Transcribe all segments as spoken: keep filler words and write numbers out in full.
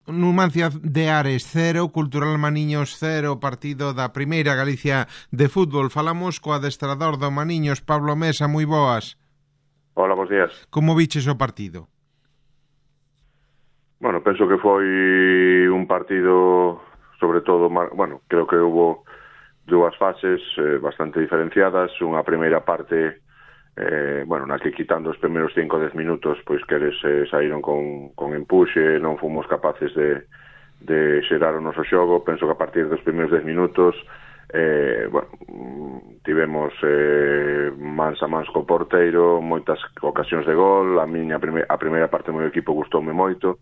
Numancia de Ares cero, Cultural Maniños cero, partido da Primeira Galicia de fútbol. Falamos co adestrador do Maniños, Pablo Mesa, moi boas. Hola, bons días. Como viches o partido? Bueno, penso que foi un partido, sobre todo, bueno, creo que hubo dúas fases eh, bastante diferenciadas. Unha primeira parte, eh, bueno, na que quitando os primeiros cinco a dez minutos, pois que eles eh, saíron con, con empuxe, non fomos capaces de, de xerar o noso xogo. Penso que a partir dos primeiros dez minutos eh, bueno, tivemos eh, mans a mans co porteiro, moitas ocasións de gol. A miña prime, a primeira parte do meu equipo gustoume moito.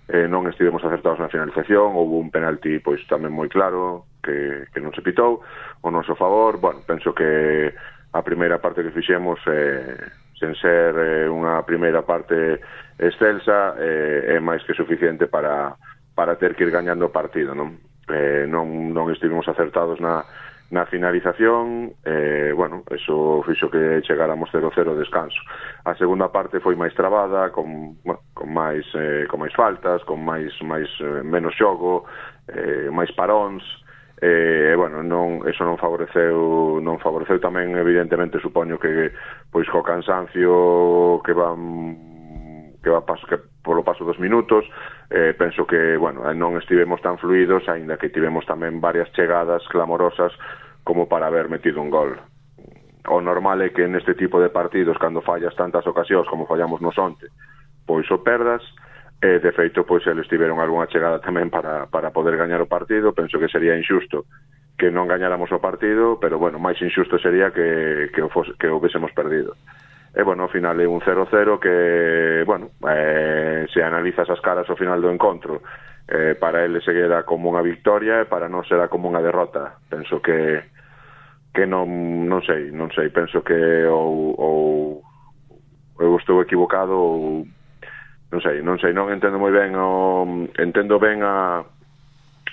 Eh, non estivemos acertados na finalización, houve un penalti pois tamén moi claro que, que non se pitou o noso favor. Bueno, penso que a primeira parte que fixemos eh, sen ser eh, unha primeira parte excelsa eh, é máis que suficiente para, para ter que ir gañando o partido, non? Eh, non, non estivemos acertados na, na finalización. eh, bueno, eso fixo que chegáramos cero cero descanso. A segunda parte foi máis trabada, con, bueno, con máis eh, con máis faltas, con máis máis eh, menos xogo, eh, máis paróns. E eh, bueno, non, eso non favoreceu non favoreceu tamén, evidentemente, supoño que pois co cansancio que van que va paso, que polo paso dos minutos, eh, penso que, bueno, non estivemos tan fluidos, aínda que tivemos tamén varias chegadas clamorosas como para haber metido un gol. O normal é que neste tipo de partidos, cando fallas tantas ocasións como fallamos nos onte, pois o perdas. E, de feito, pois eles tiveron algunha chegada tamén para, para poder gañar o partido. Penso que sería injusto que non gañáramos o partido, pero, bueno, máis injusto sería que, que, o, fose, que o hubiésemos perdido. E, bueno, ao final é un cero cero que, bueno, eh, se analizas as caras ao final do encontro, eh, para eles seguirá como unha victoria e para non será como unha derrota. Penso que que non, non sei, non sei, penso que ou, ou eu estou equivocado ou non sei, non sei, non entendo moi ben o, entendo ben a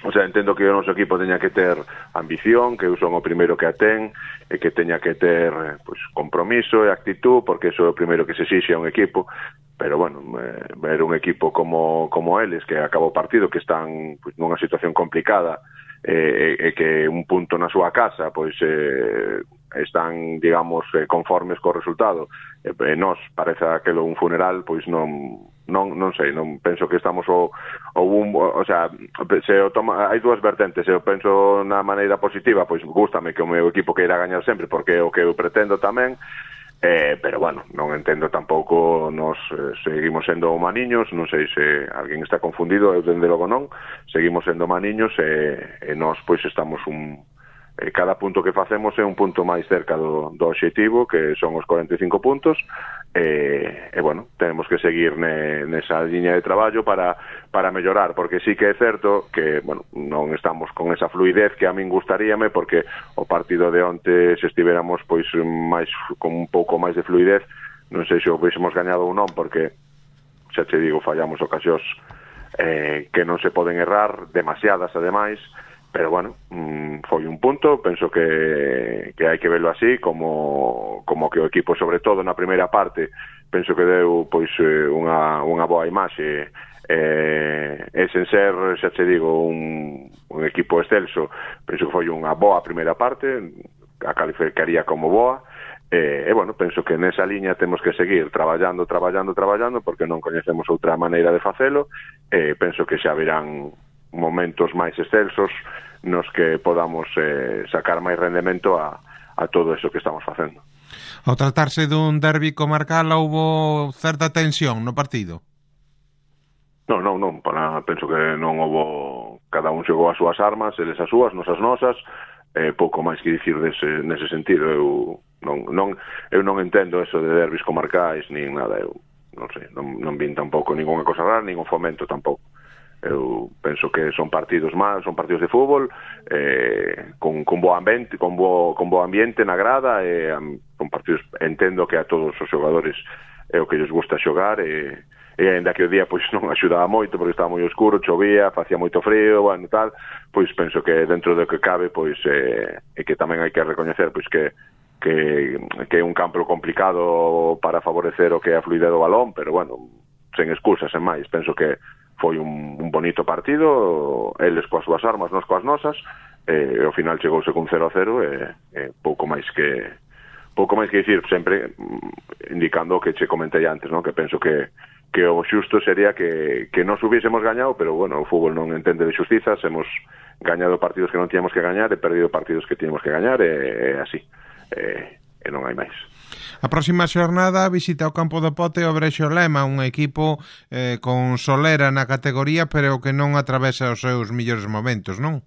o sea, entendo que o noso equipo teña que ter ambición, que eu son o primeiro que a ten, e que teña que ter pues, compromiso e actitud, porque iso é o primeiro que se exixe a un equipo. Pero, bueno, eh, ver un equipo como, como eles, que acabou o partido, que están pues, nunha situación complicada, e eh, eh, que un punto na súa casa, pois eh, están, digamos, eh, conformes co resultado, e eh, nos parece aquelo un funeral, pois non non non sei, non penso que estamos o, o, un, o, o sea, se o toma, hai dúas vertentes. Se eu penso na maneira positiva, pois gústame que o meu equipo queira gañar sempre, porque é o que eu pretendo tamén. Eh, pero, bueno, non entendo tampouco, nos eh, seguimos sendo maniños, non sei se alguén está confundido, eu dende logo non, seguimos sendo maniños e, e nós, pois, estamos un... Eh, cada punto que facemos é un punto máis cerca do, do obxectivo, que son os cuarenta e cinco puntos, e, e bueno, tenemos que seguir ne, nesa liña de traballo para, para mellorar, porque sí que é certo que, bueno, non estamos con esa fluidez que a min gustaríame, porque o partido de onte, se estiveramos pois máis con un pouco máis de fluidez, non sei se o hubiésemos gañado ou non, porque xa te digo, fallamos ocasións eh, que non se poden errar, demasiadas ademais. Pero, bueno, mmm, foi un punto. Penso que, que hai que verlo así, como, como que o equipo, sobre todo na primeira parte, penso que deu pois unha, unha boa imaxe, eh, e sen ser, xa te digo, un, un equipo excelso. Penso que foi unha boa primeira parte, a calificaría como boa, e, e bueno, penso que nesa liña temos que seguir traballando, traballando, traballando, porque non coñecemos outra maneira de facelo, e penso que xa verán momentos máis excelsos nos que podamos eh, sacar máis rendemento a, a todo eso que estamos facendo. Ao tratarse dun derbi comarcal, houbo certa tensión no partido? Non, non, non, para, penso que non houbo, cada un xogou as súas armas, eles as súas, nos as nosas, eh, pouco máis que dicir dese, nese sentido. Eu non, non, eu non entendo eso de derbis comarcais, nin nada, eu non sei, non, non vin tampouco ninguna cosa rara, nin un fomento tampouco. Eu penso que son partidos máis, son partidos de fútbol, eh, con, con bo ambiente, con bo, con bo ambiente na grada, e um, son partidos, entendo que a todos os xogadores é o que lles gusta xogar, e, e ainda que o día pois non axudaba moito, porque estaba moi oscuro, chovía, facía moito frío, bueno, tal, pois penso que dentro do que cabe, pois eh, e que tamén hai que recoñecer pois que que, que é un campo complicado para favorecer o que é a fluidez do balón, pero bueno, sen excusas, sen máis, penso que foi un, un bonito partido, eles coas súas armas, nós coas nosas, e ao final chegouse con cero a cero e, e pouco máis que pouco máis que dicir, sempre indicando o que che comentei antes, non? Que penso que que o xusto sería que, que nos hubiésemos gañado, pero bueno, o fútbol non entende de xustizas, hemos gañado partidos que non tíamos que gañar e perdido partidos que tíamos que gañar e, e así, e, e non hai máis. A próxima xornada visita o campo do Pote o Brexo Lema, un equipo eh, con solera na categoría, pero que non atravesa os seus millores momentos, non?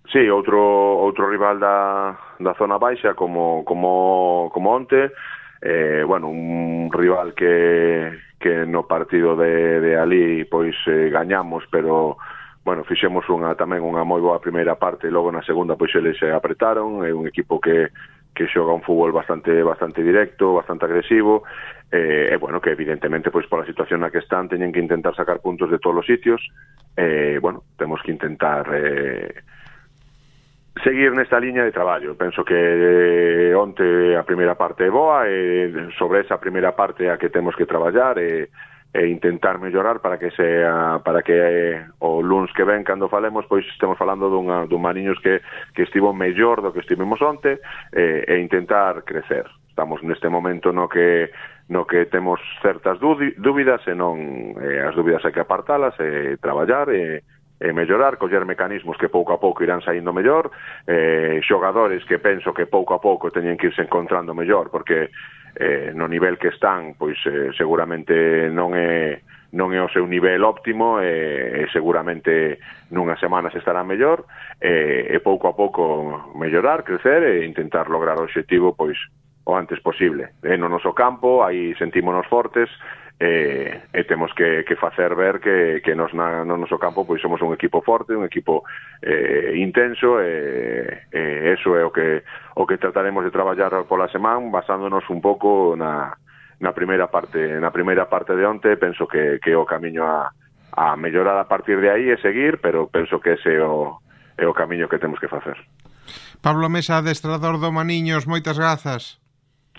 Sí, outro outro rival da, da zona baixa como como como onte, eh, bueno, un rival que que no partido de, de ali pois eh, gañamos, pero bueno, fixemos unha tamén unha moi boa primeira parte e logo na segunda pois eles se apretaron, é un equipo que que xoga un fútbol bastante bastante directo, bastante agresivo, e eh, bueno, que evidentemente pois pola situación na que están teñen que intentar sacar puntos de todos os sitios, e eh, bueno, temos que intentar eh, seguir nesta liña de traballo. Penso que eh, onte a primeira parte é boa e sobre esa primeira parte a que temos que traballar e, e intentar mellorar para que sea para que eh, o luns que ven cando falemos pois estemos falando dunha, dun Mariños que, que estivo mellor do que estivemos onte e, e intentar crecer. Estamos neste momento no que no que temos certas dúbidas e non eh, as dúbidas hai que apartalas e traballar e e mellorar, coller mecanismos que pouco a pouco irán saindo mellor, eh, xogadores que penso que pouco a pouco teñen que irse encontrando mellor, porque eh, no nivel que están, pois eh, seguramente non é non é o seu nivel óptimo e, e seguramente nunhas semanas estará mellor e, e pouco a pouco mellorar, crecer e intentar lograr o obxectivo pois o antes posible. E no noso campo, aí sentímonos fortes, E, e temos que, que facer ver que, que nos na, no noso campo pois somos un equipo forte, un equipo eh, intenso e, e eso é o que o que trataremos de traballar pola semana basándonos un pouco na, na primeira parte na primeira parte de onte. Penso que, que o camiño a, a mellorar a partir de aí é seguir, pero penso que ese é o, é o camiño que temos que facer. Pablo Mesa, adestrador do Maniños, moitas grazas.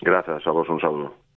Grazas, a vos un saúdo.